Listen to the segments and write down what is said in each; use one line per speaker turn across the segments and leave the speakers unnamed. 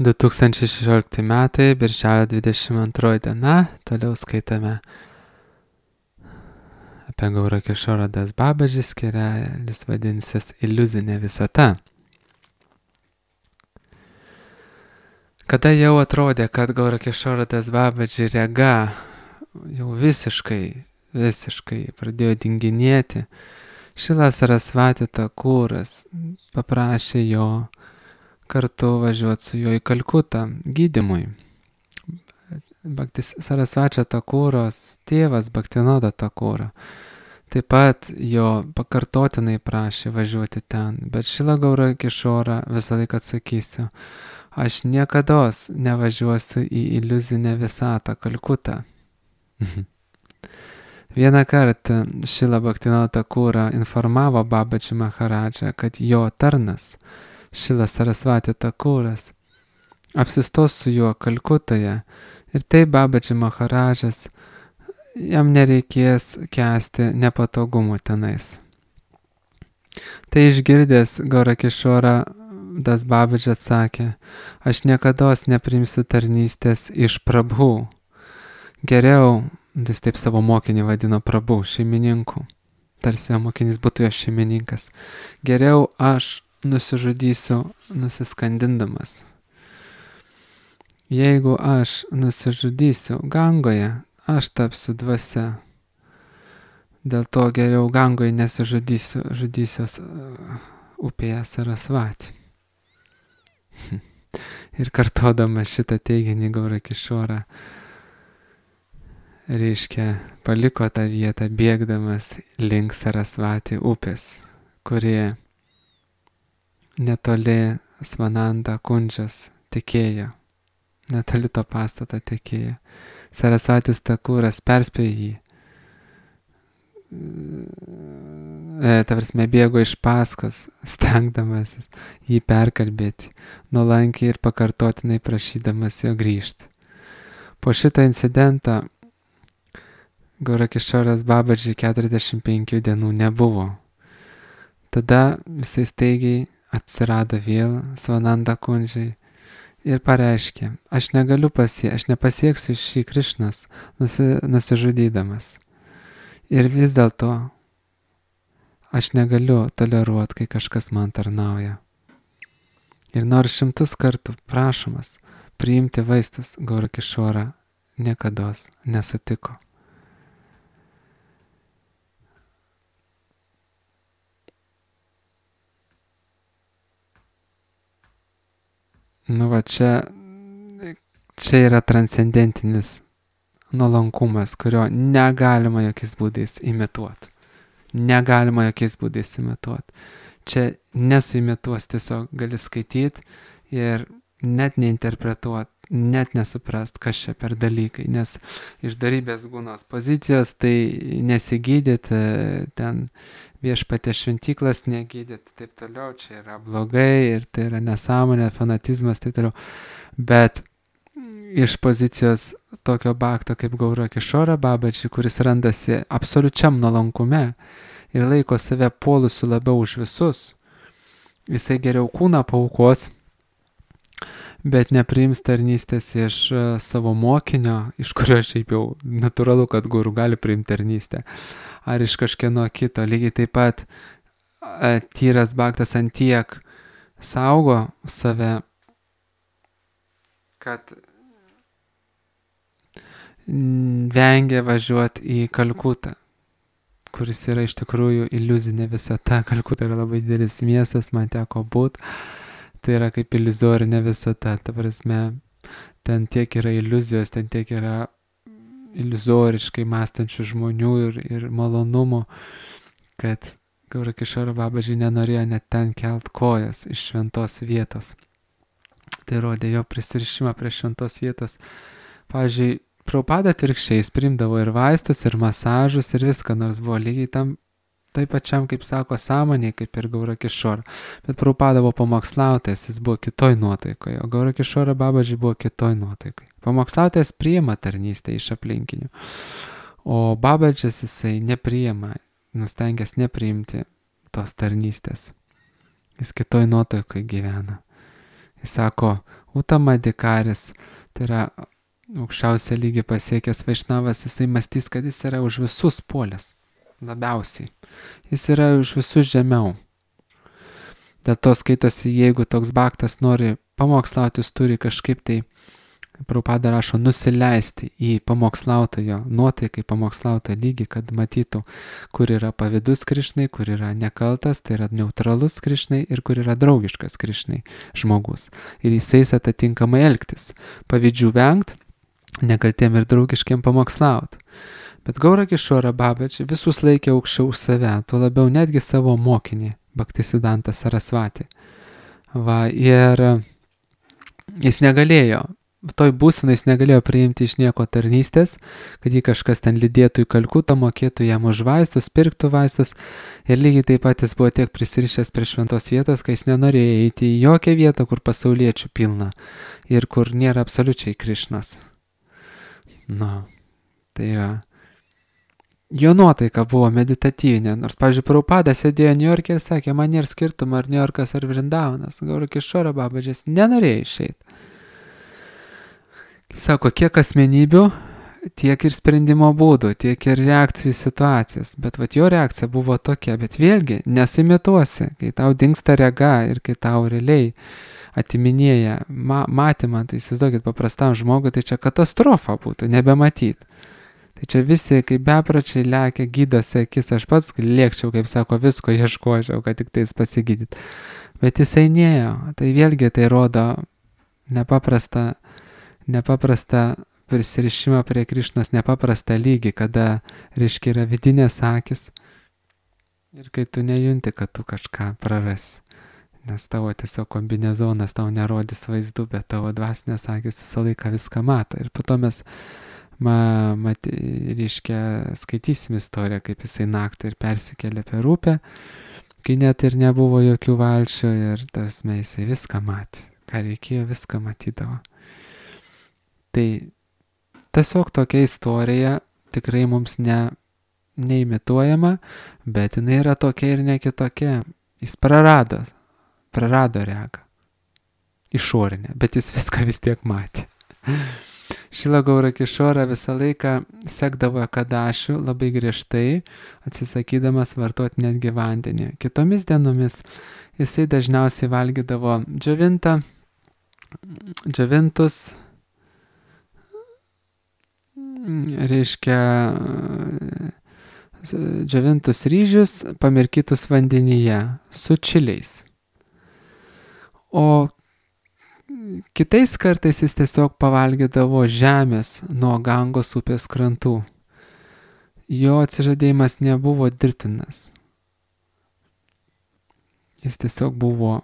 2016 metai, birželio 22 diena, toliau skaitame apie Gaura Kishoro Das Babaji, skierelis vadinsis Iliuzinė visata. Kada jau atrodė, kad Gaura Kishoro Das Babaji rega jau visiškai pradėjo dinginėti, Šrila Sarasvati Thakuras paprašė jo kartu važiuoti su juo į Kalkutą gydymui. Bhakti Sarasvačio Thakuros tėvas Bhaktinoda Thakura taip pat jo pakartotinai prašė važiuoti ten, bet Šrila Gaura Kishora visą laiką atsakysiu, aš niekados nevažiuosiu į iliuzinę visatą Kalkutą. Vieną kartą Šrila Bhaktinoda Thakura informavo Babaji Maharadžą, kad jo tarnas Šrila Sarasvati Thakuras apsistos su juo Kalkutoje ir taip Babaji Maharadžas jam nereikės kęsti nepatogumų tenais. Tai išgirdęs Gaura Kishora Das Babaji atsakė, aš niekados neprimsiu tarnystės iš prabhų. Geriau, jis taip savo mokinį vadino prabhų, šeimininku, tarsi jo mokinys būtų jo šeimininkas. Geriau aš nusižudysiu nusiskandindamas. Jeigu aš nusižudysiu Gangoje, aš tapsiu dvasia. Dėl to geriau Gangoje nesižudysiu, žudysiuos upėje Sarasvati. Ir kartodama šitą teiginį Gaura Kishora, reiškia, paliko tą vietą bėgdamas link Sarasvati upės, kurie netoli Svananda Kundžos tekėjo, netoli to pastato tekėjo. Sarasvatis Thakuras perspėjo jį, bėgo iš paskos, stengdamasis jį perkalbėti, nuolankiai ir pakartotinai prašydamas jo grįžti. Po šito incidento Gaura Kishoras Babaji 45 dienų nebuvo. Tada visai staigiai atsirado vėl Svananda Kundžai ir pareiškė, aš nepasieksiu šį Krišnas nusižudydamas. Ir vis dėlto aš negaliu toleruoti, kai kažkas man tarnauja. Ir nors 100 kartų prašomas priimti vaistus, Gaura Kishora niekados nesutiko. Čia yra transcendentinis nuolankumas, kurio negalima jokiais būdais imituoti. Čia nesuimituos, tiesiog gali skaityti ir net neinterpretuoti, net nesuprast, kas čia per dalykai, nes iš darybės gūnos pozicijos tai nesigydyti, ten viešpatie šventyklas negydyti, taip toliau, čia yra blogai ir tai yra nesąmonė, fanatizmas, taip toliau. Bet iš pozicijos tokio bhakto kaip Gaura Kishora Babaji, kuris randasi absoliučiam nuolankume ir laiko save puolusiu labiau už visus, jisai geriau kūną paaukos, bet nepriims tarnystės iš savo mokinio, iš kurio šiaip jau natūralu, kad guru gali priimti tarnystę, ar iš kažkieno kito. Lygiai taip pat tyras bhaktas antiek saugo save, kad vengia važiuoti į Kalkutą, kuris yra iš tikrųjų iliuzinė visata. Kalkuta yra labai didelis miestas, man teko būti. Tai yra kaip iliuzorinė visata, ta prasme, ten tiek yra iliuzijos, ten tiek yra iliuzoriškai mąstančių žmonių ir malonumo, kad Gaura Kishora Babaji nenorėjo net ten kelt kojas iš šventos vietos. Tai rodė jo prisirišimą prie šventos vietos. Pavyzdžiui, Prabhupada atvirkščiai priimdavo ir vaistus, ir masažus, ir viską, nors buvo lygiai tam taip pačiam, kaip sako, sąmonė, kaip ir Gaura Kishora. Bet Prabhupada buvo pamokslautojas, jis buvo kitoj nuotaikoje, o Gaura Kishora Babaji buvo kitoj nuotaikoje. Pamokslautojas priima tarnystę iš aplinkinių, o Babadžis jisai nepriima, nustengęs nepriimti tos tarnystės. Jis kitoj nuotaikoje gyvena. Jis sako, Utamadikaris, tai yra aukščiausią lygį pasiekęs vaišnavas, jisai mąstys, kad jis yra už visus puolęs, labiausiai. Jis yra už visus žemiau. Dėl to skaitosi, jeigu toks baktas nori pamokslauti, jis turi kažkaip tai, Prabhupada rašo, nusileisti į pamokslautojo nuotaikai, pamokslautojo lygį, kad matytų, kur yra pavydus Krišnai, kur yra nekaltas, tai yra neutralus Krišnai ir kur yra draugiškas Krišnai žmogus. Ir jis atitinkamai elgtis. Pavydžių vengt, nekaltiem ir draugiškiem pamokslauti. Bet Gaura Kišora Babaji visus laikė aukščiau už save, tuo labiau netgi savo mokinį, Bhaktisiddhanta Sarasvati. Ir jis negalėjo, toj būsenai jis negalėjo priimti iš nieko tarnystės, kad jį kažkas ten lydėtų į Kalkutą, mokėtų jam už vaistus, pirktų vaistus. Ir lygiai taip pat jis buvo tiek prisirišęs prie šventos vietos, kai jis nenorėjo eiti į jokią vietą, kur pasauliečių pilna ir kur nėra absoliučiai Krišnas. Tai jo nuotaika buvo meditatyvinė, nors, pavyzdžiui, Prabhupada sėdėjo Niujorke ir sakė, man nėra skirtumo, ar Niujorkas ar Vrindavanas. Gaura Kišora Babaji nenorėjo išeiti. Sako, kiek asmenybių, tiek ir sprendimo būdų, tiek ir reakcijų situacijas. Bet jo reakcija buvo tokia, bet vėlgi nesimituosi, kai tau dingsta rega ir kai tau realiai atiminėja matymą, tai įsivaizduokit, paprastam žmogui, tai čia katastrofa būtų, nebematyti. Tai čia visi, kaip bepračiai lekia, gydosi akis, aš pats lėkčiau, kaip sako, visko ieškočiau, kad tik tais pasigydyt. Bet jisai nėjo, tai vėlgi tai rodo nepaprastą prisirišimą prie Krišnos, nepaprastą lygį, kada, reiškia, yra vidinės akis ir kai tu nejunti, kad tu kažką prarasi. Nes tavo tiesiog kombinezonas tau nerodys vaizdų, bet tavo dvasinės akis visą laiką viską mato. Ir po to mes, reiškia, skaitysim istoriją, kaip jisai naktį ir persikėlė per upę, kai net ir nebuvo jokių valčių ir tarsi jisai viską matė. Ką reikėjo, viską matydavo. Tai tiesiog tokia istorija tikrai mums neimituojama, bet jinai yra tokia ir ne kitokia. Jis prarado regą. Išorinę, bet jis viską vis tiek matė. Šila Gaura Kišora visą laiką sekdavo Kadašių labai griežtai, atsisakydamas vartoti netgi vandenį. Kitomis dienomis jisai dažniausiai valgydavo džiovintus, reiškia, džiovintus ryžius pamirkytus vandenyje su čiliais. O kitais kartais jis tiesiog pavalgydavo žemės nuo Gangos upės krantų. Jo atsižadėjimas nebuvo dirbtinas. Jis tiesiog buvo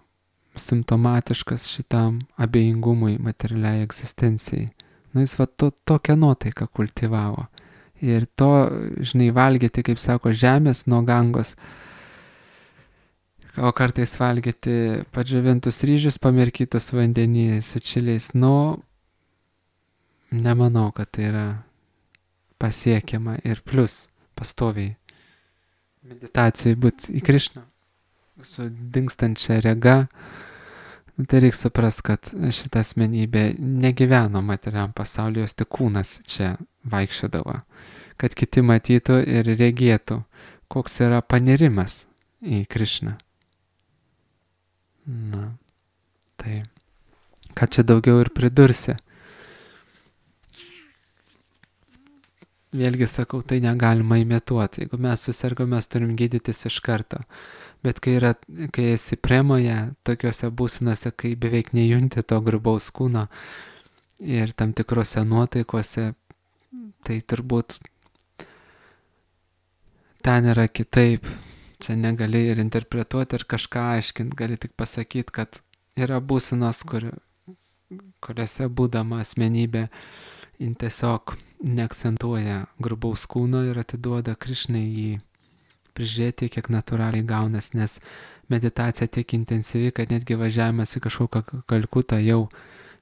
simptomatiškas šitam abejingumui materialiai egzistencijai. Jis tokią nuotaiką kultivavo. Ir to, valgyti, kaip sako, žemės nuo Gangos, o kartais valgyti padžiovintus ryžius pamirkytus vandenį su čiliais. Nemanau, kad tai yra pasiekiama ir plus pastoviai meditacijai būti į Krišną su dingstančia rega. Tai reikia supras, kad šita asmenybė negyveno materialiam pasaulyje, jos tik kūnas čia vaikščiodavo, kad kiti matytų ir regėtų, koks yra panirimas į Krišną. Tai ką čia daugiau ir pridursi. Vėlgi sakau, tai negalima imituoti. Jeigu mes susirgome, mes turim gydytis iš karto. Bet kai esi premoje, tokiuose būsenose, kai beveik nejunti to grubaus kūno ir tam tikrose nuotaikose, tai turbūt ten yra kitaip. Čia negali ir interpretuoti ir kažką aiškinti, gali tik pasakyti, kad yra būsenos, kuriuose būdama asmenybė tiesiog neakcentuoja grubaus kūno ir atiduoda Krišnai jį prižiūrėti, kiek natūraliai gaunas, nes meditacija tiek intensyvi, kad netgi važiavimas į kažkokią Kalkutą jau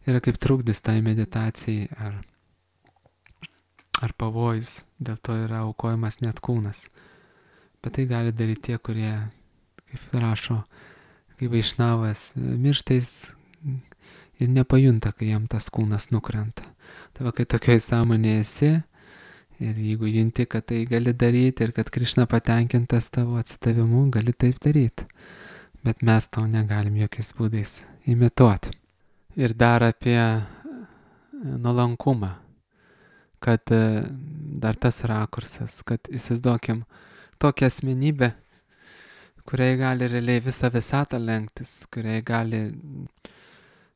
yra kaip trukdis tai meditacijai ar pavojus, dėl to yra aukojamas net kūnas. Bet tai gali daryti tie, kurie, kaip rašo, kaip vaišnavas, mirštais ir nepajunta, kai jam tas kūnas nukrenta. Tai va, kai tokioj sąmonėje esi ir jeigu junti, kad tai gali daryti ir kad Krišna patenkintas tavo atsidavimu, gali taip daryti. Bet mes to negalim jokiais būdais imituoti. Ir dar apie nuolankumą, kad dar tas rakursas, kad įsivaizduokim tokią asmenybę, kuriai gali realiai visą visatą lenktis, kuriai gali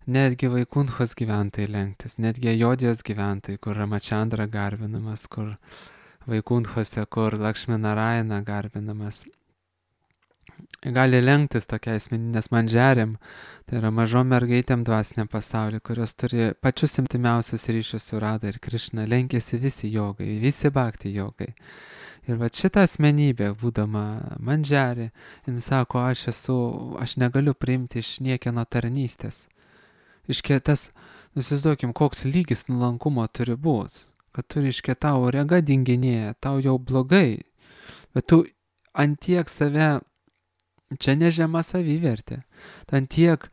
netgi Vaikunthos gyventojai lenktis, netgi Ajodijos gyventojai, kur Ramachandra garbinamas, kur Vaikunthose, kur Lakšminarayana garbinamas. Gali lenktis tokia asmeninės mandžiarėm, tai yra mažom mergaitėm dvasiniam pasauliu, kurios turi pačius intimiausius ryšius su Radha ir Krišna, lenkėsi visi jogai, visi bhakti jogai. Ir va šitą asmenybę, būdama mandžiarė, jis sako, aš negaliu priimti iš niekieno tarnystės. Iškėtas, nusivaizduokim, koks lygis nuolankumo turi būti, kad turi tau rega dinginėja, tau jau blogai, bet tu antiek save, čia nežema savivertė, antiek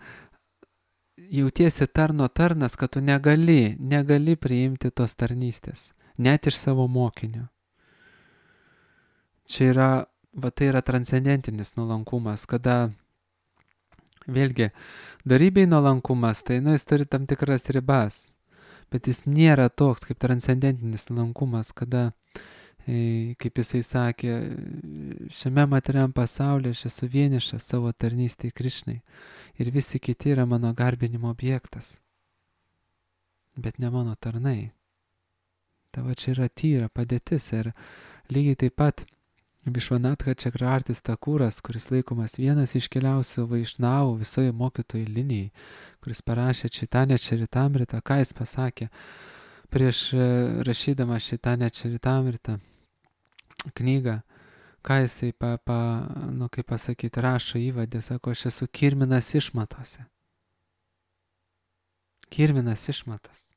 jautiesi tarno tarnas, kad tu negali priimti tos tarnystės, net iš savo mokinio. Čia yra, va tai yra transcendentinis nuolankumas, kada vėlgi, darybei nuolankumas, tai jis turi tam tikras ribas, bet jis nėra toks kaip transcendentinis nuolankumas, kada, kaip jisai sakė, šiame materiam pasaulyje aš esu vienišas savo tarnystėje Krišnai ir visi kiti yra mano garbinimo objektas, bet ne mano tarnai. Tavo čia yra tyra padėtis ir lygiai taip pat Višvanatha Čakravartis Takūras, kuris laikomas vienas iškiliausių vaišnavų visoje mokytojų linijai, kuris parašė Čaitanė Čaritamritą, ką jis pasakė prieš rašydama Čaitanė Čaritamritą knygą, ką jisai, kaip pasakyti, rašo įvadė, sako, aš esu kirminas išmatose. Kirminas išmatos.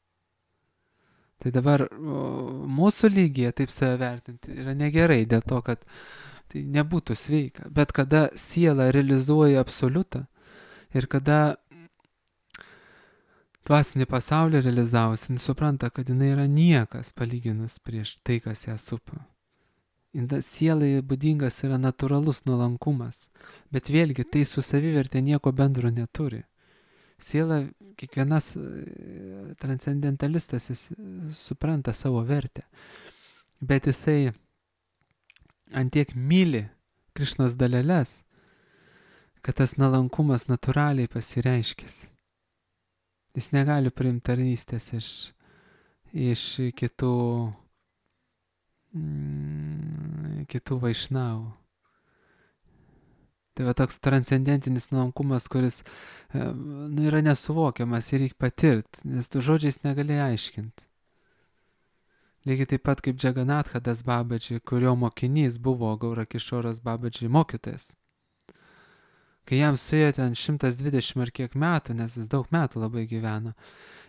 Tai dabar mūsų lygyje taip save vertinti yra negerai, dėl to, kad tai nebūtų sveika. Bet kada siela realizuoja absoliutą ir kada dvasinį pasaulį realizavusi, jis supranta, kad jinai yra niekas palyginus prieš tai, kas ją supa. Sielai būdingas yra natūralus nuolankumas, bet vėlgi tai su savivertė nieko bendro neturi. Siela, kiekvienas transcendentalistas, jis supranta savo vertę, bet jisai antiek myli Krišnos daleles, kad tas nuolankumas natūraliai pasireiškis. Jis negali priimti tarnystės iš kitų vaišnavų. Tai va toks transcendentinis nuolankumas, kuris yra nesuvokiamas ir reikia patirti, nes tu žodžiais negali aiškinti. Lygiai taip pat kaip Džaganatha Das Babaji, kurio mokinys buvo Gaurakišoras Babaji mokytojas. Kai jam suėjo ten 120 ar kiek metų, nes jis daug metų labai gyveno,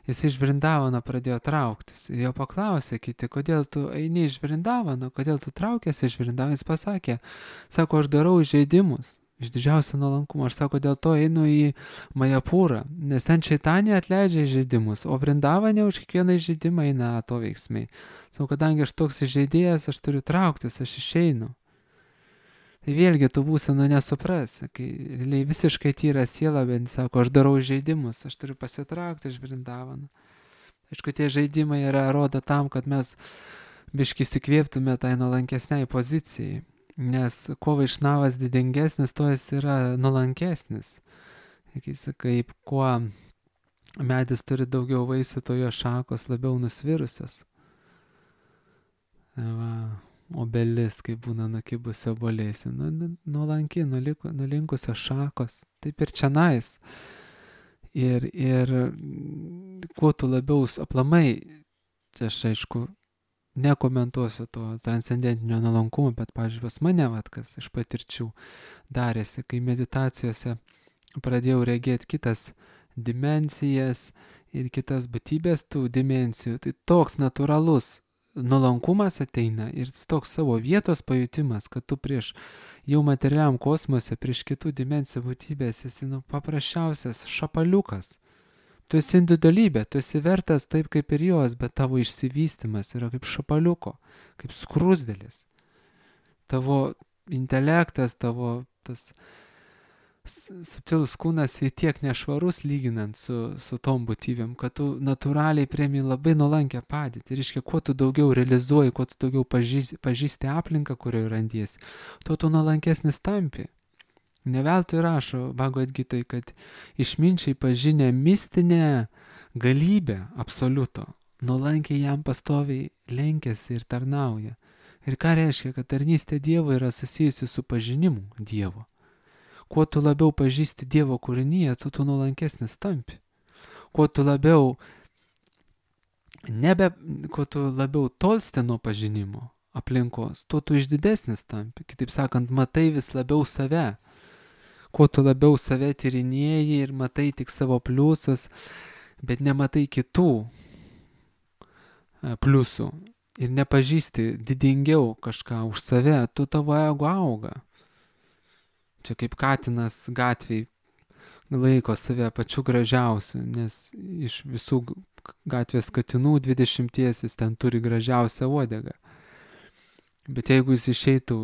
jis iš Vrindavano pradėjo trauktis. Ir jo paklausė kiti, kodėl tu eini iš Vrindavano, kodėl tu traukiasi iš Vrindavano. Jis pasakė, sako, aš darau įžeidimus. Iš didžiausio nuolankumo. Aš sako, dėl to einu į Majapūrą, nes ten Čaitanė atleidžia įžeidimus, o Vrindavane už kiekvieną įžeidimą eina atoveiksmiai. Sako, kadangi aš toks įžeidėjas, aš turiu trauktis, aš išeinu. Tai vėlgi tu būsena nesuprasi, kai realiai visiškai tyra siela, bet sako, aš darau įžeidimus, aš turiu pasitraukti iš Vrindavano. Aišku, tie žaidimai rodo tam, kad mes biškį įsikvėptume tai nuolankesniai pozicijai. Nes kuo vaišnavas didingesnis, tuo jis yra nuolankesnis. Kaip kuo medis turi daugiau vaisių, to jo šakos labiau nusvirusios. Obelis, kaip būna nukibusio obuoliais, nuolanki, nulinkusios šakos. Taip ir čionais. Ir kuo tu labiau aplamai, čia aš aišku, nekomentuosiu to transcendentinio nuolankumo, bet, pavyzdžiui, pas mane, kas iš patirčių darėsi, kai meditacijose pradėjau regėti kitas dimensijas ir kitas būtybės tų dimensijų, tai toks natūralus nuolankumas ateina ir toks savo vietos pajutimas, kad tu prieš jau materialiam kosmose, prieš kitų dimensijų būtybės esi paprasčiausias šapaliukas. Tu esi individualybė, tu esi vertas taip kaip ir jos, bet tavo išsivystymas yra kaip šapaliuko, kaip skrusdėlis. Tavo intelektas, tavo tas subtilus kūnas į tiek nešvarus lyginant su tom būtybėm, kad tu natūraliai priemi labai nuolankę padėtį. Ir reiškia, kuo tu daugiau realizuoji, kuo tu daugiau pažįsti aplinką, kurioje randiesi, tuo tu nuolankesnis tampi. Neveltui rašo Bhagavad Gitoj, kad išminčiai pažinę mistinę galybę absoliuto, nuolankiai jam pastoviai lenkiasi ir tarnauja. Ir ką reiškia, kad tarnystė Dievo yra susijusi su pažinimu Dievo. Kuo tu labiau pažįsti Dievo kūrinyje, tu nuolankesnis tampi. Kuo tu labiau tolsti nuo pažinimo aplinkos, tuo tu išdidesnis tampi. Kitaip sakant, matai vis labiau save. Kuo tu labiau save tyrinėji ir matai tik savo pliusus, bet nematai kitų pliusų ir nepažįsti didingiau kažką už save, tu tavo ego auga. Čia kaip katinas gatviai laiko save pačiu gražiausiu, nes iš visų gatvės katinų 20 jis ten turi gražiausią uodegą. Bet jeigu jis išeitų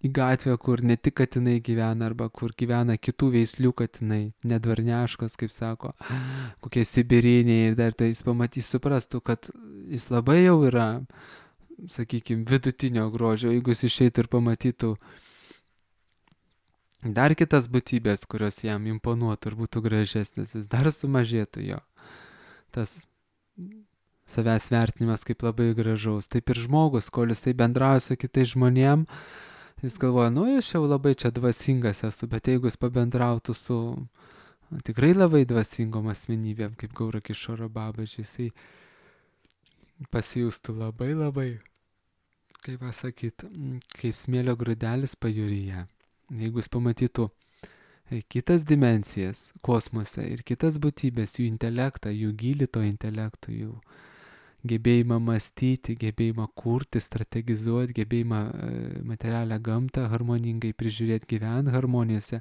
į gatvę, kur ne tik katinai gyvena, arba kur gyvena kitų veislių katinai, nedvarneškos, kaip sako, kokie sibiriniai, ir dar tai jis pamatys, suprastų, kad jis labai jau yra, sakykime, vidutinio grožio. Jeigu jis išeitų ir pamatytų dar kitas būtybės, kurios jam imponuotų ir būtų gražesnis, jis dar sumažėtų jo. Tas savęs vertinimas kaip labai gražaus. Taip ir žmogus, kol jisai bendrauja su kitais žmonėm, jis galvoja, aš jau labai čia dvasingas esu, bet jeigu jis pabendrautų su tikrai labai dvasingom asmenybėm, kaip Gaura Kišoro Babaji, jisai pasijustų labai, kaip pasakyti, kaip smėlio grūdelis pajūryje. Jeigu jis pamatytų kitas dimensijas kosmose ir kitas būtybės, jų intelektą, jų gylį to intelektų, jų gebėjimą mąstyti, gebėjimą kurti, strategizuoti, gebėjimą materialią gamtą harmoningai prižiūrėti, gyventi harmonijose,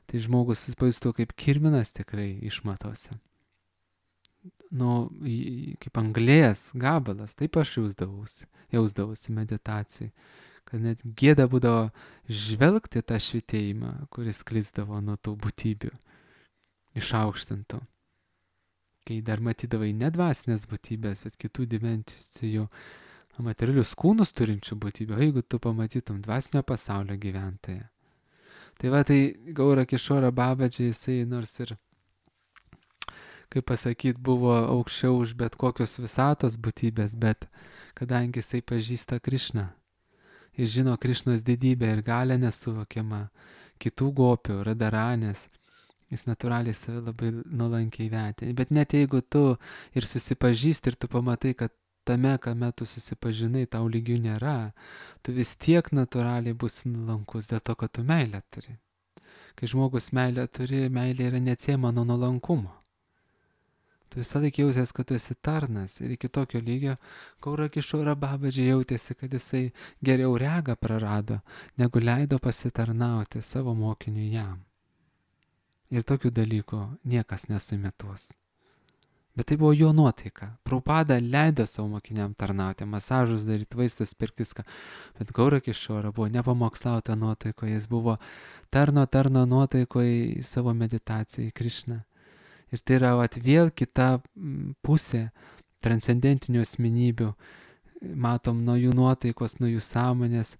tai žmogus susipažįstų kaip kirminas tikrai išmatose. Kaip anglies gabalas, taip aš jausdavausi meditacijai, kad net gėda būdavo žvelgti tą švitėjimą, kuris sklisdavo nuo tų būtybių išaukštintų. Kai dar matydavai ne dvasinės būtybės, bet kitų dimensijų materialius kūnus turinčių būtybių, jeigu tu pamatytum dvasinio pasaulio gyventoją. Tai Gaura Kišora Babaji, jisai nors ir, kaip pasakyti, buvo aukščiau už bet kokios visatos būtybės, bet kadangi jisai pažįsta Krišną, jis žino Krišnos didybę ir galę nesuvokiamą, kitų gopių, radaranės, jis natūraliai save labai nuolankiai vertina. Bet net jeigu tu ir susipažįsti ir tu pamatai, kad tame, kame tu susipažinai, tau lygių nėra, tu vis tiek natūraliai būsi nuolankus dėl to, kad tu meilę turi. Kai žmogus meilę turi, meilė yra neatsiejama nuo nuolankumo. Tu visą laiką jausės, kad tu esi tarnas, ir iki tokio lygio Gaura Kišora Babaji jautėsi, kad jisai geriau regą prarado, negu leido pasitarnauti savo mokiniui jam. Ir tokių dalykų niekas nesuimituos. Bet tai buvo jo nuotaika. Prabhupada leido savo mokiniam tarnauti, masažus daryti, vaistus pirkti, bet Gaura Kišora buvo nepamokslauta nuotaikoje, jis buvo tarno nuotaikoje savo meditacijai Krišną. Ir tai yra vėl kita pusė transcendentinių asmenybių. Matom, nuo jų nuotaikos, nuo jų sąmonės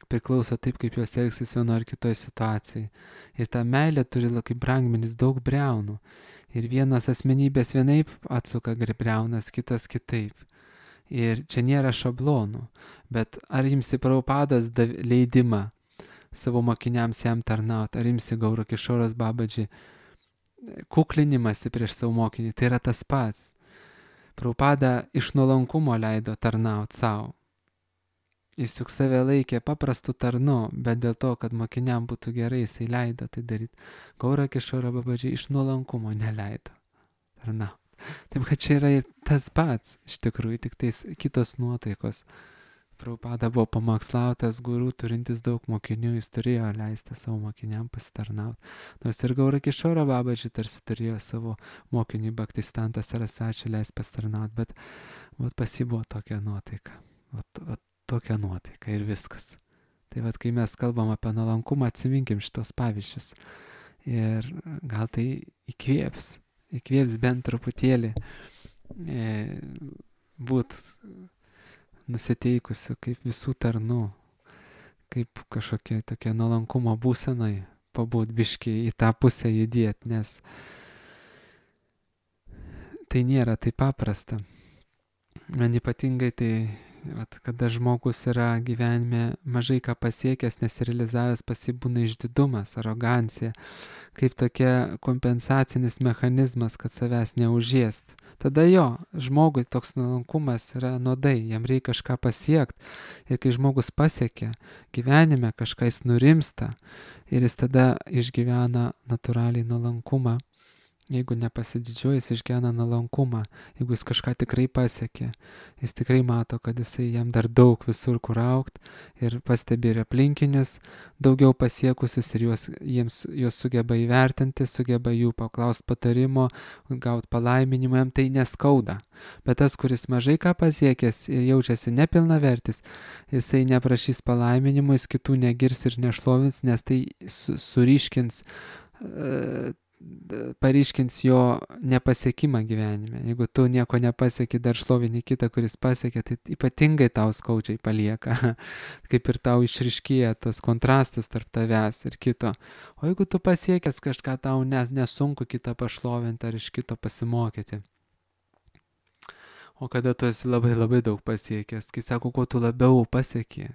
priklauso taip, kaip jos elgsis vienoje ar kitoje situacijoje. Ir ta meilė turi kaip brangmenis daug briaunų. Ir vienas asmenybės vienaip atsuka briaunas, kitas kitaip. Ir čia nėra šablonų. Bet ar imsi Prabhupados leidimą savo mokiniams jam tarnauti, ar imsi Gaura Kišoros Babaji kuklinimąsi prieš savo mokinį, tai yra tas pats. Prabhupada iš nuolankumo leido tarnauti savo. Jis juk save laikė paprastų tarnu, bet dėl to, kad mokiniam būtų gerai, jisai leido tai daryti. Gaura Kišora Babaji iš nuolankumo neleido tarnauti. Taip, kad čia yra ir tas pats, iš tikrųjų, tik tais kitos nuotaikos Prabhupada buvo pamokslautas guru, turintis daug mokinių, jis turėjo leisti savo mokiniam pasitarnauti. Nors ir Gaura Kišoro Babaji tarsi turėjo savo mokiniui Bhaktisiddhanta Sarasvati leisti pasitarnauti, bet pas jį buvo tokia nuotaika. Tokia nuotaika ir viskas. Tai kai mes kalbam apie nuolankumą, atsiminkim šitos pavyzdžius. Ir gal tai įkvėps bent truputėlį būt nusiteikusiu kaip visų tarnų, kaip kažkokia tokia nuolankumo būsenai, pabūt biškį į tą pusę judėti, nes tai nėra taip paprasta. Man ypatingai tai, kada žmogus yra gyvenime mažai ką pasiekęs, nesirealizavęs, pas jį būna išdidumas, arogancija, kaip tokia kompensacinis mechanizmas, kad savęs neužėst. Tada žmogui toks nuolankumas yra nuodai, jam reikia kažką pasiekti. Ir kai žmogus pasiekia gyvenime, kažką jis nurimsta ir jis tada išgyvena natūraliai nuolankumą. Jeigu nepasididžiuoja, jis išgyvena nuolankumą. Jeigu jis kažką tikrai pasiekė, jis tikrai mato, kad jam dar daug visur kur augt ir pastebi ir aplinkinius daugiau pasiekusius ir juos sugeba įvertinti, sugeba jų paklausti patarimo, gauti palaiminimą, jam tai neskauda. Bet tas, kuris mažai ką pasiekęs ir jaučiasi nepilnavertis, jisai neprašys palaiminimų, jis kitų negirs ir nešlovins, nes tai suriškins paryškins jo nepasiekimą gyvenime. Jeigu tu nieko nepasieki, dar šlovini kitą, kuris pasiekė, tai ypatingai tau skaudžiai palieka. Kaip ir tau išryškėja tas kontrastas tarp tavęs ir kito. O jeigu tu pasiekęs kažką, tau nesunku kitą pašlovinti ar iš kito pasimokyti. O kada tu esi labai labai daug pasiekęs, kai sako, kuo tu labiau pasieki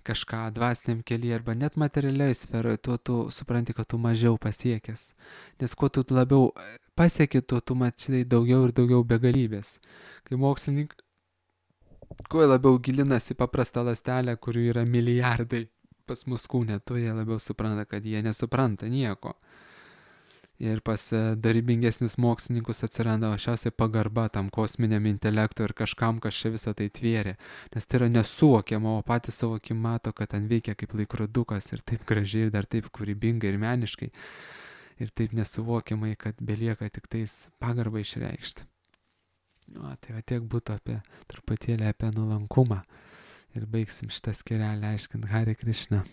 kažką dvasiniam kelyje arba net materialiai sferoje, tuo tu supranti, kad tu mažiau pasiekęs. Nes kuo tu labiau pasieki, tuo tu matai daugiau ir daugiau begalybės. Kai mokslininkai kuo labiau gilinasi paprastą ląstelę, kurių yra milijardai pas mus kūne, tuo jie labiau supranta, kad jie nesupranta nieko. Ir pas darybingesnius mokslininkus atsiranda šiausiai pagarba tam kosminiam intelektui ir kažkam, kas čia visą tai tvėrė. Nes tai yra nesuvokiama, o patys savo akim mato, kad ten veikia kaip laikrodukas ir taip gražiai ir dar taip kūrybingai ir meniškai. Ir taip nesuvokiamai, kad belieka tik tais pagarbą išreikšti. Tai tiek būtų truputėlį apie nuolankumą. Ir baigsim šitą skyrelį aiškint Hare Krishna.